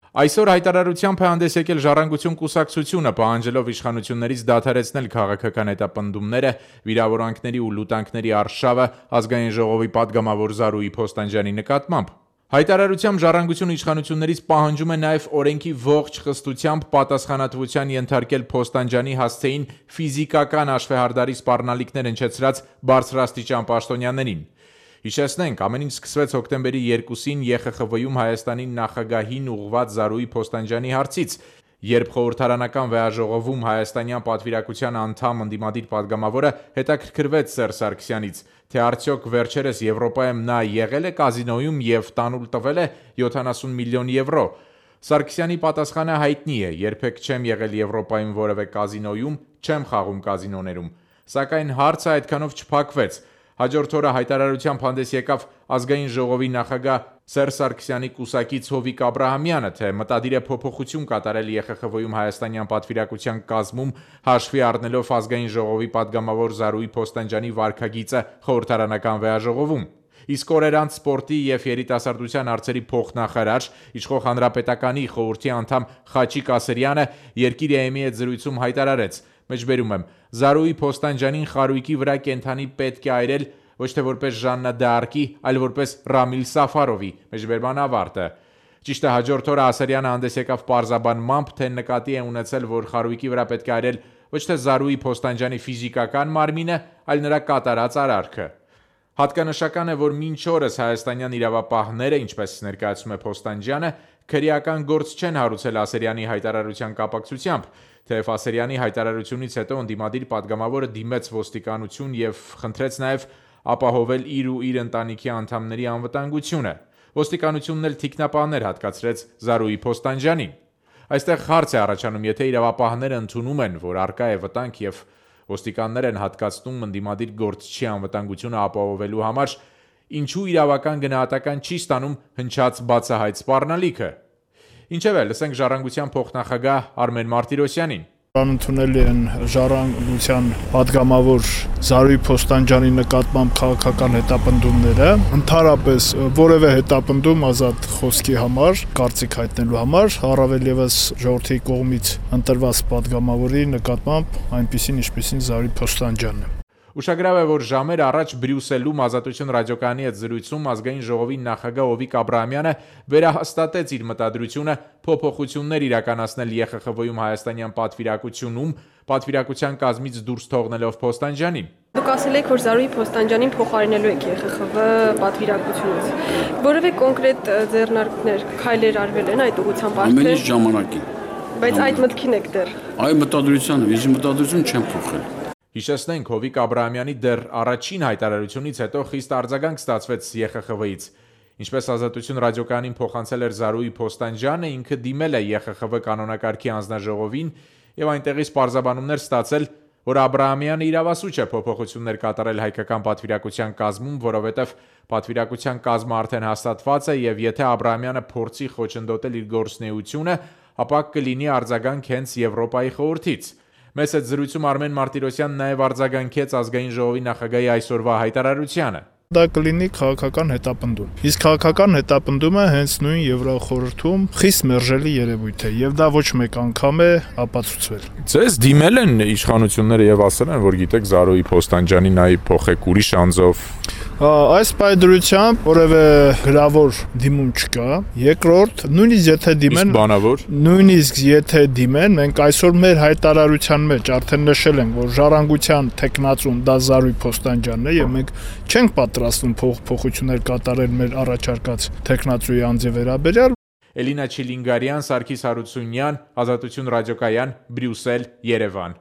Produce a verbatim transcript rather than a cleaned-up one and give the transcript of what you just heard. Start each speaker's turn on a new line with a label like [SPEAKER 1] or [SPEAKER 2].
[SPEAKER 1] Այսօր հայտարարությամբ է հանդես եկել Ժառանգություն կուսակցությունը, պահանջելով իշխանություններից դադարեցնել քաղաքական հետապնդումները, վիրավորանքների ու լուտանքների արշավը ազգային ժողովի պատգամավոր Զարուհի Փոստանջյանի նկատմամբ։ Հայտարարությամբ Ժառանգությունը իշխանություններից պահանջում է նաև օրենքի ողջ խստությամբ պատասխանատվության ենթարկել Փոստանջյանի հասցեին ֆիզիկական հաշվեհարդարի սպառնալիքներ հնչեցրած բարձրաստիճան պաշտոնյաներին։ Հիշեցնենք, ամեն ինչ սկսվեց հոկտեմբերի երկուսին Է Խ Խ V-ում Հայաստանի նախագահին ուղղված Զարուհի Փոստանջյանի հարցից, երբ խորհրդարանական վեհաժողովում հայաստանյան պատվիրակության անդամ ընդդիմադիր պատգամավորը հետաքրքրվեց Սերժ Սարգսյանից, թե արդյոք վերջերս Եվրոպայում նա եղել է կազինոյում և տանուլ տվել է յոթանասուն միլիոն եվրո։ Սարգսյանի պատասխանը հայտնի է՝ երբեք չեմ եղել Եվրոպայում որևէ կազինոյում, չեմ խաղում կազինոներում։ Սակայն հարցը այդքանով չփակվեց։ Հաջորդ օրը հայտարարությամբ հանդես եկավ ազգային ժողովի նախագահ Սերժ Սարգսյանի կուսակից Հովիկ Աբրահամյանը, թե մտադիր է փոփոխություն կատարել Է Խ Խ V-ում հայաստանյան պատվիրակության կազմում, հաշվի առնելով ազգային ժողովի պատգամավոր Զարուհի Փոստանջյանի վարքագիծը խորհրդարանական վեհաժողովում։ Իսկ օրեր անց սպորտի և երիտասարդության հարցերի փոխնախարար, իշխող Հանրապետականի խորհրդի անդամ Խաչիկ Ասրյանը Երկիր Է Էմ-ի հետ զրույցում հայտարարեց. Մեջբերում եմ, Զարուհի Փոստանջյանին խարույկի վրա կենդանի պետք է այրել ոչ թե որպես Ժաննա Դ'Արկի, այլ որպես Ռամիլ Սաֆարովի, մեջբերման ավարտը։ Ճիշտ է, հաջորդ օրը Ասրյանը հանդես եկավ պարզաբանմամբ, թե նկատի է ունեցել, որ խարույկի վրա պետք է այրել ոչ թե Զարուհի Փոստանջյանի ֆիզիկական մարմինը, այլ նրա կատարած արարքը։ Հատկանշական է, որ մինչ օրս հայաստանյան իրավապահները, ինչպես ներկայացնում է Փոստանջյանը, քրեական գործ չեն հարուցել Ասրյանի հայտարարության կապակցությամբ, թեև Ասրյանի հայտարարությունից հետո ընդդիմադիր պատգամավորը դիմեց ոստիկանություն և խնդրեց նաև ապահովել իր ու իր ընտանիքի անդամների անվտանգությունը։ Ոստիկանությունն էլ թիկնապահներ հատկացրեց Զարուհի Փոստանջյանին։ Այստեղ հարց է առաջանում, եթե իրավապահները ընդունում են, որ առկա է վտանգ և ոստիկաններ են հատկացնում ընդդիմադիր գործչի անվտանգությունը ապահովելու համար, ինչու իրավական գնահատական չի ստանում հնչած բացահայտ սպառնալիքը։ Ինչևէ, լսենք Ժառանգության փոխնախագահ Արմեն Մարտիրոսյանին։
[SPEAKER 2] Ընդունելի են Ժառանգության պատգամավոր Զարուհի Փոստանջյանի նկատմամբ քաղաքական հետապնդումները, ընդհանրապես որևէ հետապնդում ազատ խոսքի համար, կարծիք հայտնելու համար, առավել ևս ժողովրդի կողմից ընտրված պատգամավորի նկատմամբ այնպիսին, ինչպիսին Զարուհի Փոստանջյանն է։
[SPEAKER 1] Ուշագրավ է, որ ժամեր առաջ Բրյուսելում Ազատություն ռադիոկայանի հետ զրույցում ազգային ժողովի նախագահ Հովիկ Աբրահամյանը վերահաստատեց իր մտադրությունը փոփոխություններ իրականացնել Է Խ Խ V-ում հայաստանյան պատվիրակությունում, պատվիրակության կազմից դուրս թողնելով Փոստանջյանին։
[SPEAKER 3] Դուք ասել եք, որ Զարուհի Փոստանջյանին փոխարինելու եք Է Խ Խ V պատվիրակությունից։ Որևէ կոնկրետ ձեռնարկներ, քայլեր արվել են այդ ուղղությամբ արդեն։
[SPEAKER 4] Ամեն ինչ ժամանակին։
[SPEAKER 3] Բայց այդ մտքին եք դեռ։
[SPEAKER 4] Այ մտադրությանը, ես մտադրություն չեմ փոխել։
[SPEAKER 1] Հիշեցնենք, Հովիկ Աբրահամյանի դեռ առաջին հայտարարությունից հետո խիստ արձագանք ստացվեց Է Խ Խ V-ից։ Ինչպես Ազատություն ռադիոկայանին փոխանցել էր Զարուհի Փոստանջյանը, ինքը դիմել է Է Խ Խ V կանոնակարգի հանձնաժողովին և այնտեղից պարզաբանումներ ստացել, որ Աբրահամյանը իրավասու չէ փոփոխություններ կատարել հայկական պատվիրակության կազմում, որովհետև պատվիրակության կազմը արդեն հաստատված է և եթե Աբրահամյանը փորձի խոչընդոտել իր գործունեությունը, ապա կլինի արձագանք հենց Եվրոպայի խորհրդից։ Մեծ այդ զրույցում Արմեն Մարտիրոսյանն նաև արձագանքեց ազգային ժողովի նախագահի այսօրվա հայտարարությանը։
[SPEAKER 2] Դա կլինի քաղաքական հետապնդում։ Իսկ քաղաքական հետապնդումը հենց նույն Եվրախորհրդում խիստ մերժելի երևույթ է եւ դա ոչ մեկ անգամ է ապացուցվել։
[SPEAKER 1] Ձեզ դիմել են իշխանությունները եւ ասել են, որ գիտեք Զարուհի Փոստանջյանին նայ փոխեք ուրիշ անձով։
[SPEAKER 2] Այս պայդրությամբ որևէ գրավոր դիմում չկա։ Երկրորդ, նույնիսկ եթե դիմեն,
[SPEAKER 1] բանավոր,
[SPEAKER 2] նույնիսկ եթե դիմեն, մենք այսօր մեր հայտարարության մեջ արդեն նշել ենք, որ Ժառանգության տեխնացուն դա Զարուհի Փոստանջյանն է եւ մենք չենք պատրաստվում փոխփոխություններ կատարել մեր առաջարկած տեխնացուի անձի վերաբերյալ։
[SPEAKER 1] Էլինա Չիլինգարյան, Սարգիս Հարությունյան, Ազատություն ռադիոկայան, Բրյուսել, Երևան։